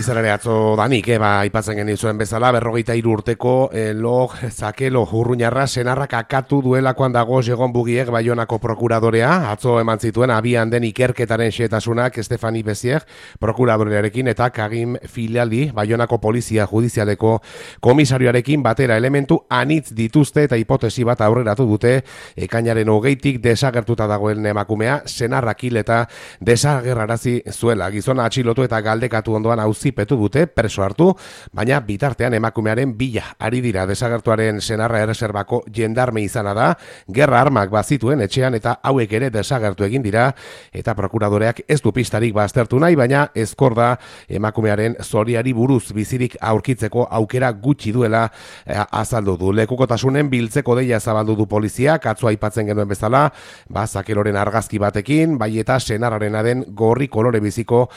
izan ere atzo danik, aipatzen genizuen bezala, 43 urteko Log Zakelo Urruñarra senarrak akatu duelakoan dago Jegon Bugiek Baionako prokuradorea, atzo eman zituen abian den ikerketaren xehetasunak Estefani Bezier prokuradorearekin eta Kagin Filiali Baionako polizia judizialeko komisarioarekin batera elementu anitz dituzte eta hipotesi bat aurreratu dute ekainaren 20tik desagertuta dagoen emakumea senarrak hil eta desagerrarazi zuela. Gizona atxilotu eta galdekatu ondoan auzipetu dute, preso hartu, baina bitartean emakumearen bila ari dira. Desagertuaren senarra erreserbako jendarme izana da, gerra armak bazituen etxean eta hauek ere desagertu egin dira, eta prokuradoreak ez du pistarik baztertu nahi, baina ezkor da emakumearen zoriari buruz bizirik aurkitzeko aukera gutxi duela azaldu du. Lekukotasunen biltzeko deia zabaldu du poliziak, atzo aipatzen genuen bezala, Zakeloren argazki batekin, bai eta senarrarena den gorri kolore biziko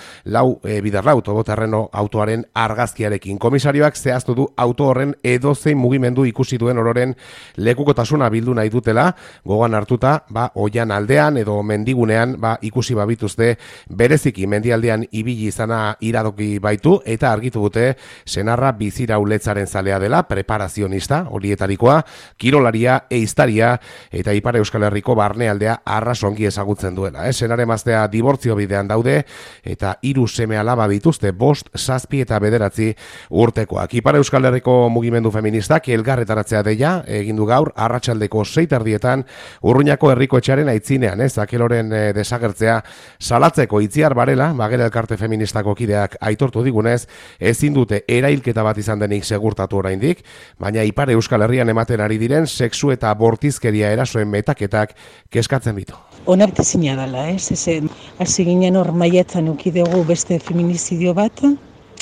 bidarlau todoterreno autoaren argazkiarekin. Komisarioak zehaztu du auto horren edozein mugimendu ikusi duen ororen lekukotasuna bildu nahi dutela, gogoan hartuta, oian aldean edo mendigunean ikusi babituzte bereziki mendialdean ibili izana iradoki baitu eta argitu dute senarra bizira uletzaren zalea dela, preparazionista, horietarikoa, kirolaria, eiztaria eta Ipar Euskal Herriko barnealdea arrasongi ezagutzen duela. Senare maztea dibortzio bidean daude eta 3 seme alaba dituzte, 5, 7 eta 9 urtekoak. Ipar Euskal Herriko mugimendu feministak elgarretaratzea deia egin du gaur arratsaldeko 6:00 Urruñako herriko etxearen aitzinean, Zakeloren desagertzea salatzeko Itziar Barela, Bagera elkarte feministako kideak aitortu digunez, ezin dute erailketa bat izan denik segurtatu oraindik, baina Ipar Euskal Herrian ematen ari diren sexu eta bortizkeria erasoen metaketak kezkatzen ditu. Onartezina dela, hasi ginen hor maiatzan eduki dugu beste feminizidio bat,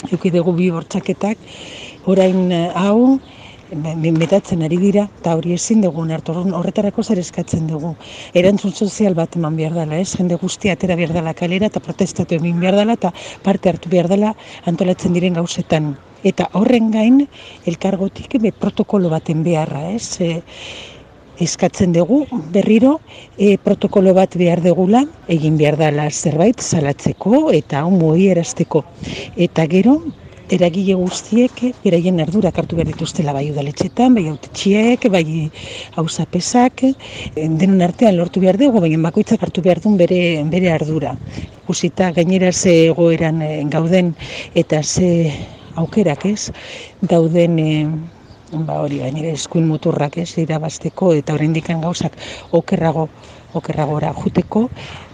eduki dugu 2 bortxaketak, orain hau metatzen ari dira, eta hori ezin dugu hartu, horretarako zer eskatzen dugu. Erantzun sozial bat eman behar dela, jende guztia atera behar dela kalera, eta protestatu egin behar dela, eta parte hartu behar dela antolatzen diren gauzetan. Eta horren gain, elkargotik protokolo baten beharra, eskatzen dugu berriro protokolo bat behar degula, egin behar dela zerbait salatzeko eta mugiarazteko. Eta gero, eragile guztiek beraien ardurak hartu behar dituztela bai udaletxetan, bai autetxiek, bai auzapesak, denon artean lortu behar dugu, baina bakoitzak hartu behar duen bere ardura. Ikusita gainera ze egoeran gauden eta ze aukerak dauden hori gainera eskuin muturrak irabazteko eta oraindik gauzak okerragora juteko,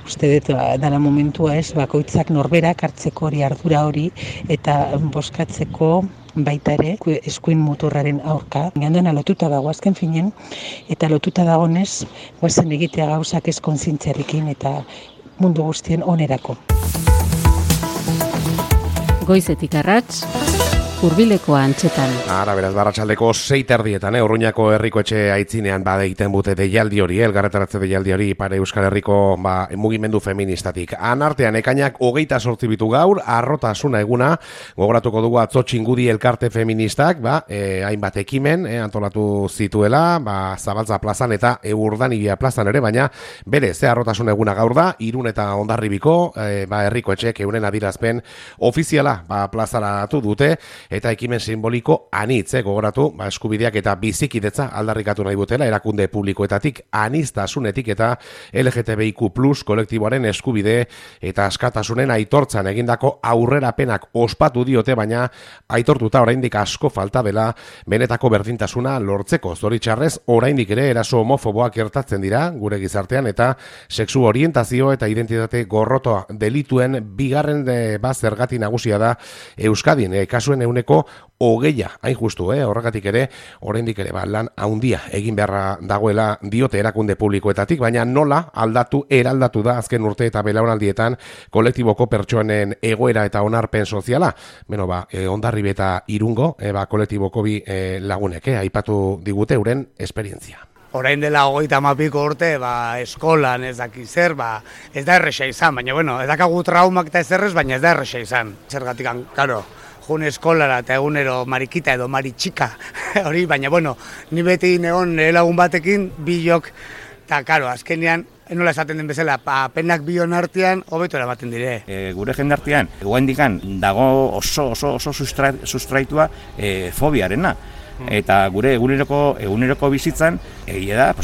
uste dut dela momentua bakoitzak norberak hartzeko hori ardura hori eta boskatzeko baita ere eskuin muturraren aurka. Gandoena lotuta dago azken finen eta lotuta dagonez goazen egitea gauzak ez kontzientziarekin eta mundu guztien onerako. Goizetik arrats, Hurbileko antxetan. Beraz, barratsaldeko 6:00 Urruñako herriko etxe aitzinean egiten bute deialdi hori, elgarretaratze deialdi hori Ipar Euskal Herriko mugimendu feministatik. Anartean ekainak 28 bitu gaur, arrotasuna eguna, gogoratuko dugu atzo Txingudi elkarte feministak, hainbat ekimen antolatu zituela, Zabaltza plazan eta Urdanibia plazan ere, baina bere, arrotasun eguna gaur da, Irun eta Hondarribiko, herriko etxek euren adirazpen ofiziala plazaratu dute, eta ekimen simboliko anitz, gogoratu, eskubideak eta bizikidetza aldarrikatu nahi dutela, erakunde publikoetatik, aniztasunetik eta LGTBIQ+ kolektiboaren eskubide eta askatasunen aitortzan egindako aurrerapenak ospatu diote, baina aitortuta oraindik asko falta dela benetako berdintasuna lortzeko. Zoritxarrez, oraindik ere eraso homofoboak gertatzen dira gure gizartean eta sexu orientazio eta identitate gorrotoa delituen bigarren zergati nagusia da Euskadin, kasuen 20%, hain justu, horregatik ere, oraindik ere lan handia egin beharra dagoela diote erakunde publikoetatik, baina nola eraldatu da azken urte eta belaunaldietan kolektiboko pertsonen egoera eta onarpen soziala. Hondarribi eta Irungo, kolektiboko bi lagunek, aipatu digute euren esperientzia. Orain dela 30 urte, eskolan ez daki zer, ez da erresa izan, baina, ez dakagu traumak eta ez errez, baina ez da erresa izan. Zergatik, karo, jun eskolara eta egunero marikita edo maritxika, hori, baina, ni beti negon lagun batekin, bilok, eta, karo, azkenean, nola esaten den bezala, penak bion artean, hobeto eramaten dire. Gure jendartean, guendikan dago oso sustraitua fobiarena. Eta gure eguneroko bizitzan, egia da,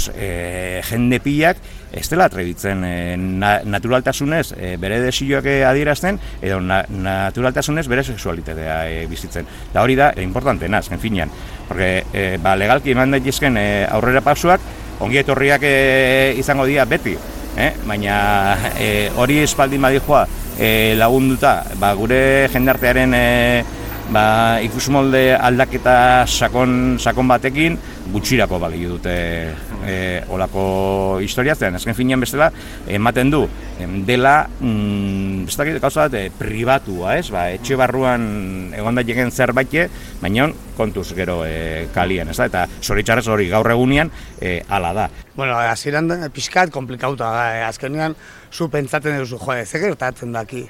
jende pilak ez dela atrebitzen naturaltasunez bere desioak adierazten, edo naturaltasunez bere sexualitatea bizitzen. Da hori da, importantena, azken finean. Porque legalki eman daitezken aurrera pausuak, ongi etorriak izango dira beti. Baina hori espaldin badijoa lagunduta gure jendartearen ikusmolde aldaketa sakon batekin gutxirako balio dute olako historiatzen. Azken finean bestela ematen du dela gauza bat pribatua, etxe barruan egon daiteken zerbait, baina kontuz gero kalian, eta zoritxarrez hori gaur egunean hala da. Bueno, hasieran pixkat komplikauta da, azkenean zu pentsatzen duzu, ze gertatzen daki,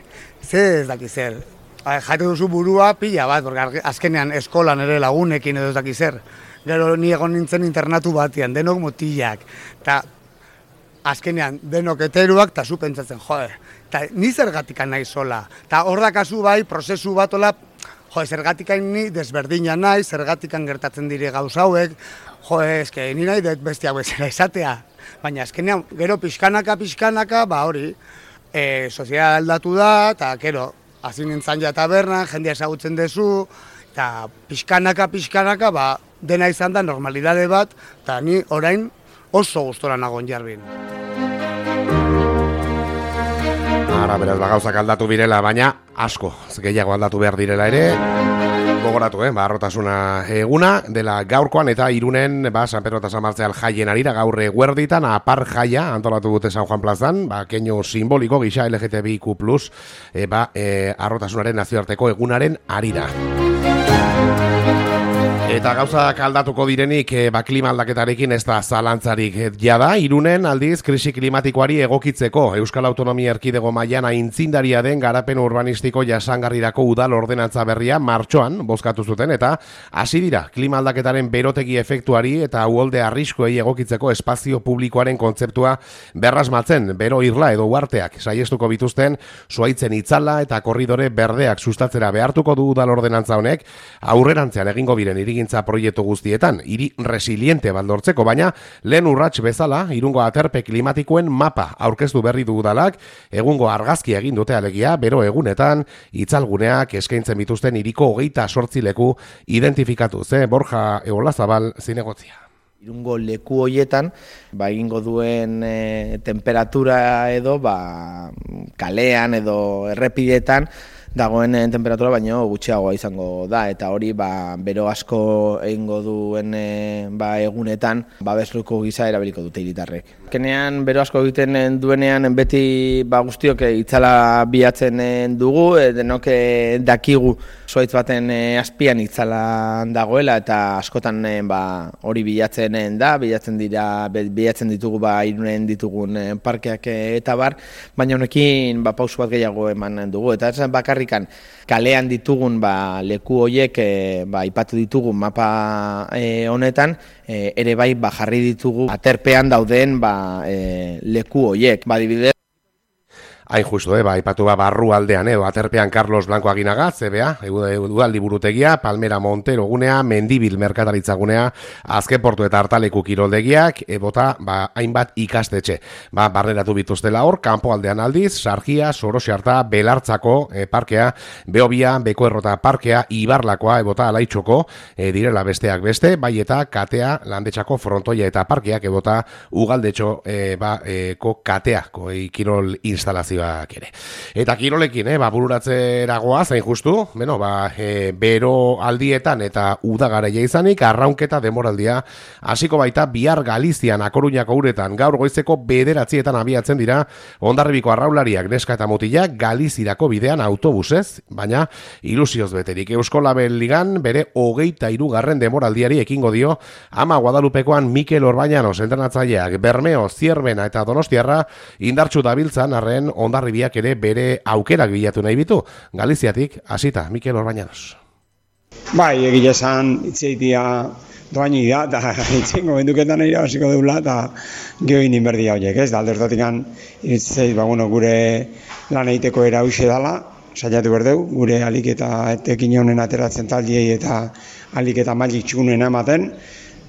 ez daki zer. Jaite duzu burua pila bat, azkenean eskolan ere lagunekin edo ez daki zer. Gero ni egon nintzen internatu batean, denok mutilak, eta azkenean denok heteruak, eta zu pentsatzen, eta ni zergatikan nahi sola. Eta hor dakazu bai, prozesu bat ola, zergatikan ni desberdina nahi, zergatikan gertatzen dire gauza hauek, eske ni nahi dut bestiak bezala izatea. Baina azkenean, gero pixkanaka, hori, soziala aldatu da, eta gero, hasi nintzen ja tabernan, jendea ezagutzen duzu, eta pixkanaka, dena izan da normalidade bat, eta ni orain oso gustora nagon jarbin. Ara, beraz, gauzak aldatu birela, baina asko, gehiago aldatu behar direla ere, gogoratu, arrotasuna eguna, dela gaurkoan eta Irunen, San Pedro eta San Martzial jaien arira, gaur eguerditan, apar jaia, antolatu dute San Juan plazan, keinu simboliko gisa LGTBIQ+, arrotasunaren nazioarteko egunaren arira. Eta gauzak aldatuko direnik klima aldaketarekin ez da zalantzarik jada, Irunen aldiz krisi klimatikoari egokitzeko Euskal Autonomia Erkidego mailan aintzindaria den garapen urbanistiko jasangarrirako udal ordenantza berria martxoan bozkatu zuten eta hasi dira klima aldaketaren berotegi efektuari eta uholde arriskuei egokitzeko espazio publikoaren kontzeptua berrasmatzen, bero irla edo uarteak saiestuko bituzten zuhaitzen itzala eta korridore berdeak sustatzera behartuko du udal ordenantza honek aurrerantzean egingo biren irigintza proiektu guztietan, hiri resiliente baldortzeko, baina lehen urrats bezala, Irungo aterpe klimatikoen mapa aurkeztu berri du udalak, egungo argazki egin dute alegia, bero egunetan, itzalguneak eskaintzen bituzten hiriko 28 leku identifikatu, Borja Eolazabal zinegotzia. Irungo leku hoietan, egingo duen temperatura edo, kalean edo errepidetan, dagoen temperatura baino gutxiagoa izango da, eta hori bero asko egingo duen egunetan babesluko gisa erabiliko dute hiritarrek. Kenean bero asko egiten duenean beti guztiok itzala bilatzen dugu, denok dakigu zuhaitz baten azpian itzala dagoela eta askotan hori bilatzen da, bilatzen ditugu Irunen ditugun parkeak eta bar, baina honekin pausu bat gehiago eman dugu, eta ez bakarrik kalean ditugun leku horiek aipatu ditugun mapa honetan, ere jarri ditugu aterpean dauden leku horiek. Adibidez, Hain justu, aipatu barru aldean, aterpean Carlos Blanco Aginaga, CBA, udaldi burutegia, Palmera Montero gunea, Mendibil merkataritza gunea, Azkeportu eta Artaleku kiroldegiak, bota hainbat ikastetxe. Barneratu bituztela hor, kanpo aldean aldiz, Sargia, Sorosiarta, Belartzako parkea, Beobia, Bekoerrota parkea, Ibarlakoa, bota Alaitxoko, direla besteak beste, bai eta Katea, Landetxako frontoia eta parkeak, bota Ugaldetxo Katea, kirol instalazio ere. Eta kirolekin, bururatzeragoa, zain justu, bero aldietan eta udagaraia izanik, arraunketa demoraldia hasiko baita bihar Galizian, Akoruñako uretan, gaur goizeko 9:00 abiatzen dira, Hondarribiko arraulariak neska eta mutilak Galizirako bidean autobusez, baina ilusioz beterik. Eusko Label Ligan bere 23. demoraldiari ekingo dio, Ama Guadalupekoan Mikel Orbañanos entrenatzaileak, Bermeo, Zierbena eta Donostiarra indartsu dabiltzan arren Hondarribiak ere bere aukerak bilatu nahi bitu. Galiziatik hasita Mikel Orbañanos. Egia esan, itzeitia doaini da, eta itzengo benduketan irabaziko deula, eta geho inin berdia horiek, ez? Da aldertatik iritzeit, gure lan egiteko era huxe dala, saiatu berdeu, gure alik eta etekin honen ateratzen taldiei eta alik eta mailik txunen ematen,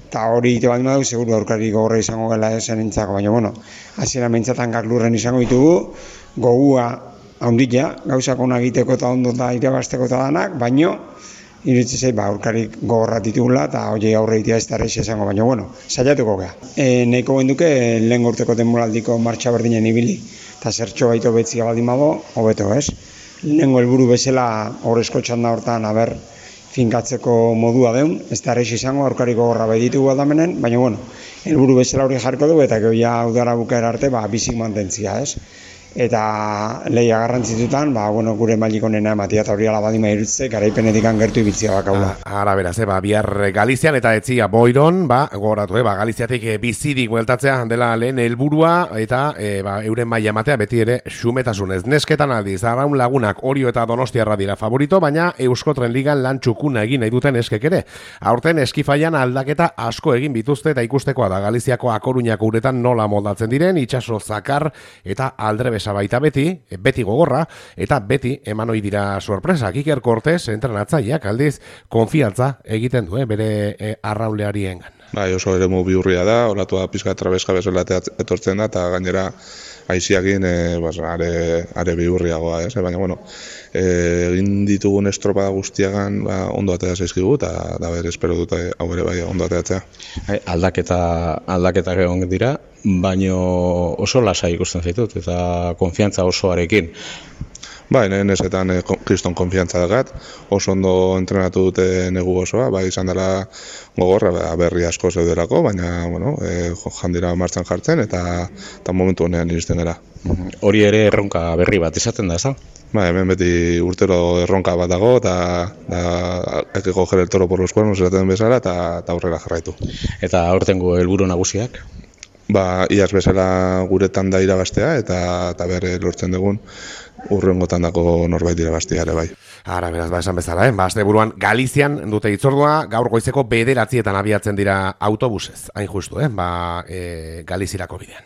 eta hori ite bat dugu, seguru aurkari gogorra izango gela esen entzako, baina, hasiera mentzatan gaklurren izango ditugu, gogua haunditia, gauzak onak egiteko eta ondo eta irabazteko eta danak, baina, iritsi zei, aurkarik gogorra ditugula, eta hori aurre itea ez da reixe izango, baina, saiatuko gea. Nahiko genduke, lehen urteko denboraldiko martxa berdinen ibili, eta zertxo baito betzia baldin bado, hobeto, ez? Lehengo helburu bezala horrezko txanda hortan, finkatzeko modua deun, ez da errez izango, aurkariko gorra bai ditugu aldamenen, baina, helburu bezala hori jarriko dugu, eta gehoia udara bukaera arte, bizik mantentzia, ez? Eta lehia garrantzitutan, gure mailik onena ematia eta hori alabadima irutze, garaipenetik gertu ibiltzia bakaula. Ara beraz, bihar Galizian eta etzia Boiron, gogoratu, Galiziatik bizirik bueltatzea dela lehen helburua eta euren maila ematea beti ere xumetasunez. Nesketan aldiz, Arraun Lagunak, Orio eta Donostiarra dira favorito, baina Euskotren Ligan lan txukuna egin nahi duten eskek ere. Aurten eskifaian aldaketa asko egin bituzte eta ikustekoa da Galiziako A Coruñako uretan nola moldatzen diren, itsaso zakar eta aldrebes baita beti gogorra, eta beti eman ohi dira sorpresak. Iker Cortés, entrenatzaileak aldiz, konfiantza egiten du, bere arrauleariengan. Oso eremu bihurria da, olatua pizka trabeska bezala etortzen da, eta gainera aiziakin are bihurriagoa, ez? Baina, egin ditugun estropada guztiagan ondo atea zaizkigu, eta espero dut hau ere bai ondo ateatzea. Aldaketak egon dira, baino oso lasai ikusten zaitut, eta konfiantza osoarekin. Nesetan kriston konfiantza dakat, oso ondo entrenatu dute negu osoa, izan dela gogorra, berri asko zeuderako, baina, jandira martxan jartzen, eta momentu honean iristen gara. Hori ere erronka berri bat izaten da, ez da? Hemen beti urtero erronka bat dago, eta hay que coger el toro por los cuernos esaten bezala, eta aurrera jarraitu. Eta aurtengo helburu nagusiak? Iaz bezala guretan da irabaztea, eta berre lortzen dugun urrengotan dako norbait irabaztea ere bai. Ara, beraz, esan bezala, asteburuan Galizian dute hitzordua, gaur goizeko 9:00 abiatzen dira autobusez, hain justu, Galizirako bidean.